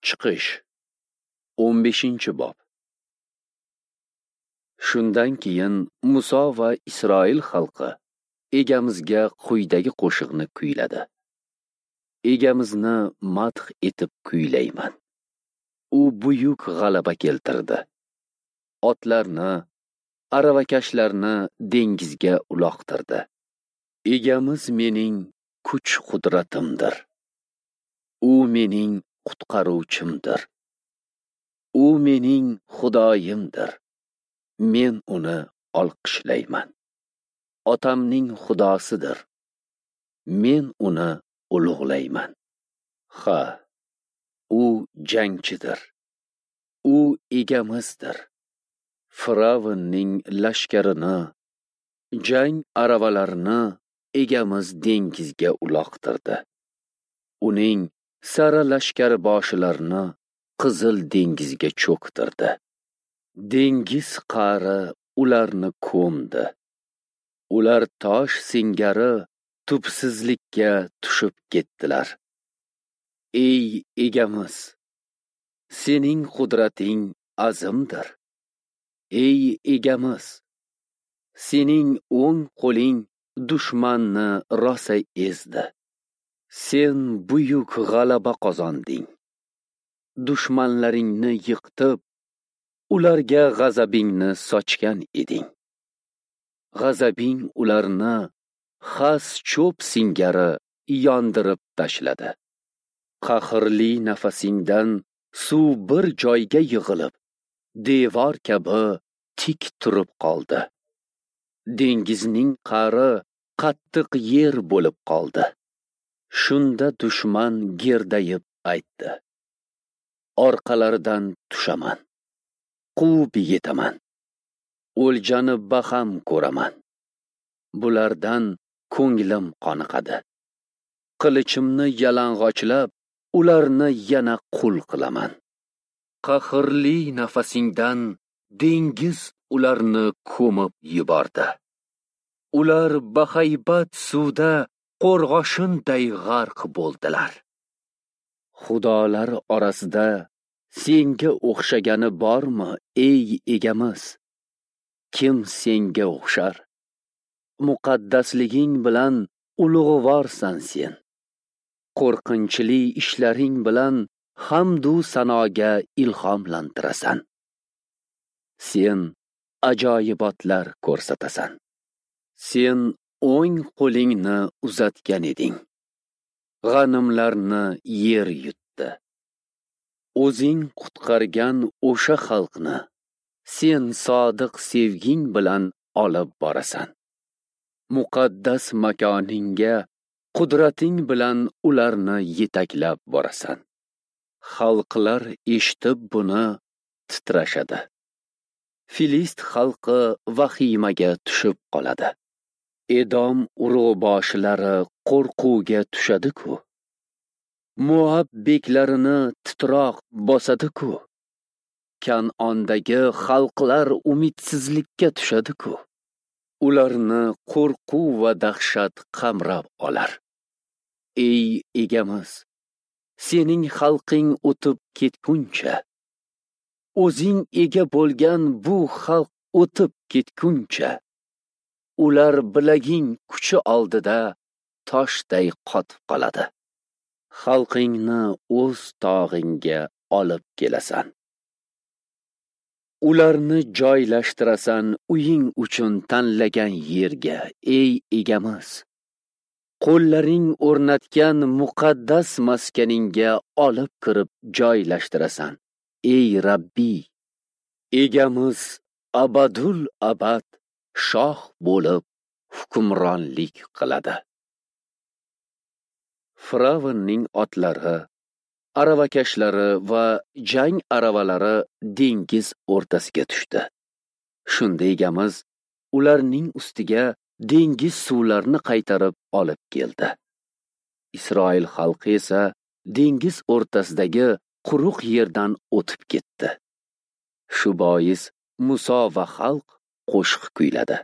Chiqish 15-bob. Shundan keyin Muso va Isroil xalqi Egamizga quyidagi qo'shiqni kuyladi. Egamizni madh etib kuylayman. U buyuk g'alaba keltirdi. Otlarni, aravakashlarni dengizga uloqtirdi. Egamiz mening kuch-qudratimdir. U mening qutqaruvchimdir. U mening Xudoyimdir. Men uni olqishlayman. Otamning Xudosidir. Men uni ulug'layman. Ha, u jangchidir. U egamizdir. Firavnning lashkarini, jang aravalarini egamiz dengizga uloqtirdi. Uning sara lashkar boshilarini Qizil dengizga cho'ktirdi. Dengiz qa'ri ularni ko'mdi. Ular tosh singari tubsizlikka tushib ketdilar. Ey egamiz, sening qudrating azimdir. Ey egamiz, sening o'ng qo'ling dushmanni rosa ezdi. Sen buyuk g'alaba qozonding. Dushmanlaringni yiqitib, ularga g'azabingni sochgan eding. G'azabing ularni xas cho'p singari yondirib tashladi. Qahrli nafasingdan suv bir joyga yig'ilib, devor kabi tik turib qoldi. Dengizning qa'ri qattiq yer bo'lib qoldi. Shunda dushman gerdayib aytdi: Orqalaridan tushaman, quvib yetaman, o'ljani baham ko'raman. Bulardan ko'nglim qoniqadi. Qilichimni yalang'ochlab, ularni yana qul qilaman. Qahrli nafasingdan dengiz ularni ko'mib yubordi. Ular bahaybat suvda qo'rg'oshinday g'arq bo'ldilar. Xudolar orasida senga o'xshagani bormi, ey egamiz? Kim senga o'xshar? Muqaddasliging bilan ulug'vorsan sen. Qo'rqinchli ishlaring bilan hamdu sanoga ilhomlantirasan. Sen ajoyibotlar ko'rsatasan. Sen o'ng qo'lingni uzatgan eding. G'animlarni yer yutdi. O'zing qutqargan o'sha xalqni sen sodiq sevging bilan olib borasan. Muqaddas makoningga qudrating bilan ularni yetaklab borasan. Xalqlar eshitib buni titrashadi. Filist xalqi vahimaga tushib qoladi. Edom urug'boshilari qo'rquvga tushadi-ku. Moab beklarini titroq bosadi-ku. Kan'ondagi xalqlar umidsizlikka tushadi-ku. Ularni qo'rquv va dahshat qamrab olar. Ey egamiz, sening xalqing o'tib ketguncha, o'zing ega bo'lgan bu xalq o'tib ketguncha, ular bilaging kuchi oldida toshday qotib qoladi. Xalqingni o'z tog'ingga olib kelasan. Ularni joylashtirasan uying uchun tanlagan yerga, ey egamiz. Qo'llaring o'rnatgan muqaddas maskaningga olib kirib joylashtirasan, ey Rabbiy. Egamiz abadul abad shoh bo'lib hukmronlik qiladi. Firavnning otlari, aravakashlari va jang aravalari dengiz o'rtasiga tushdi. Shunda egamiz ularning ustiga dengiz suvlarini qaytarib olib keldi. Isroil xalqi esa dengiz o'rtasidagi quruq yerdan o'tib ketdi. Shu bois Muso va xalq qo'shiq kuyladi.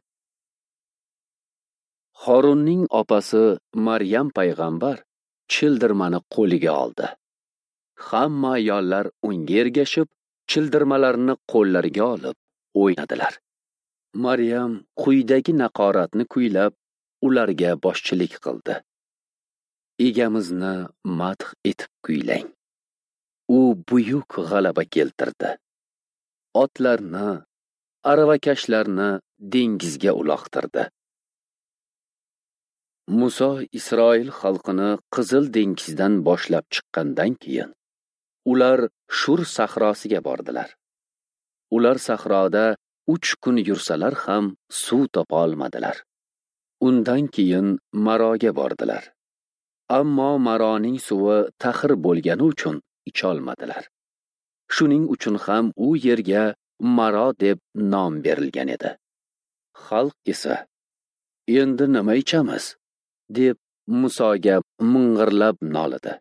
Horunning opasi Maryam payg'ambar childirmani qo'liga oldi. Hamma ayollar unga ergashib, childirmalarni qo'llariga olib o'ynadilar. Maryam quyidagi naqoratni kuylab, ularga boshchilik qildi. Egamizni madh etib kuylang. U buyuk g'alaba keltirdi. Otlarni, aravakashlarni dengizga uloqtirdi. Muso Isroil xalqini Qizil dengizdan boshlab chiqqandan keyin ular Shur sahrosiga bordilar. Ular sahroda 3 kun yursalar ham suv topa olmadilar. Undan keyin Maroga bordilar. Ammo Maroning suvi taxir bo'lgani uchun icholmadilar. Shuning uchun ham u yerga Maro deb nom berilgan edi. Xalq esa, "Endi nima ichamiz?" deb Musoga ming'irlab nolidi.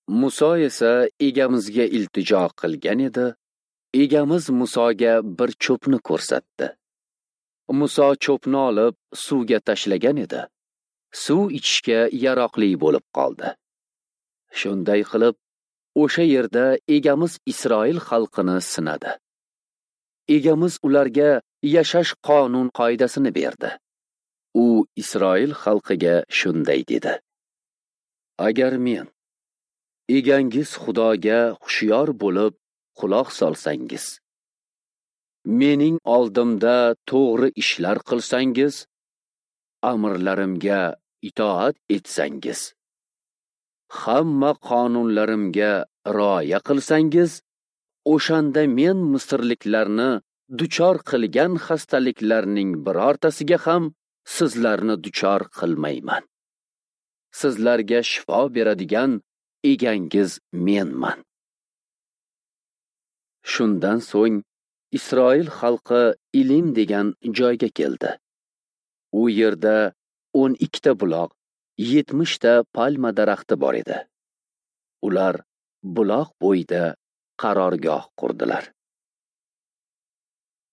Muso esa Egamizga iltijo qilgan edi. Egamiz Musoga bir cho'pni ko'rsatdi. Muso cho'pni olib suvga tashlagan edi. Suv ichishga yaroqli bo'lib qoldi. Shunday qilib, o'sha yerda Egamiz Isroil xalqini sinadi. Egamiz ularga yashash qonun qoidasini berdi. U Isroil xalqiga shunday dedi: Agar men egangiz Xudoga hushyor bo'lib quloq solsangiz, mening oldimda to'g'ri ishlar qilsangiz, amrlarimga itoat etsangiz, hamma qonunlarimga rioya qilsangiz, o'shanda men misrliklarni duchor qilgan xastaliklarning birortasiga ham sizlarni duchor qilmayman. Sizlarga shifo beradigan egangiz menman. Shundan so'ng Isroil xalqi Ilim degan joyga keldi. U yerda 12 ta buloq, 70 ta palma daraxti bor edi. Ular buloq bo'yida qarorgoh qurdilar.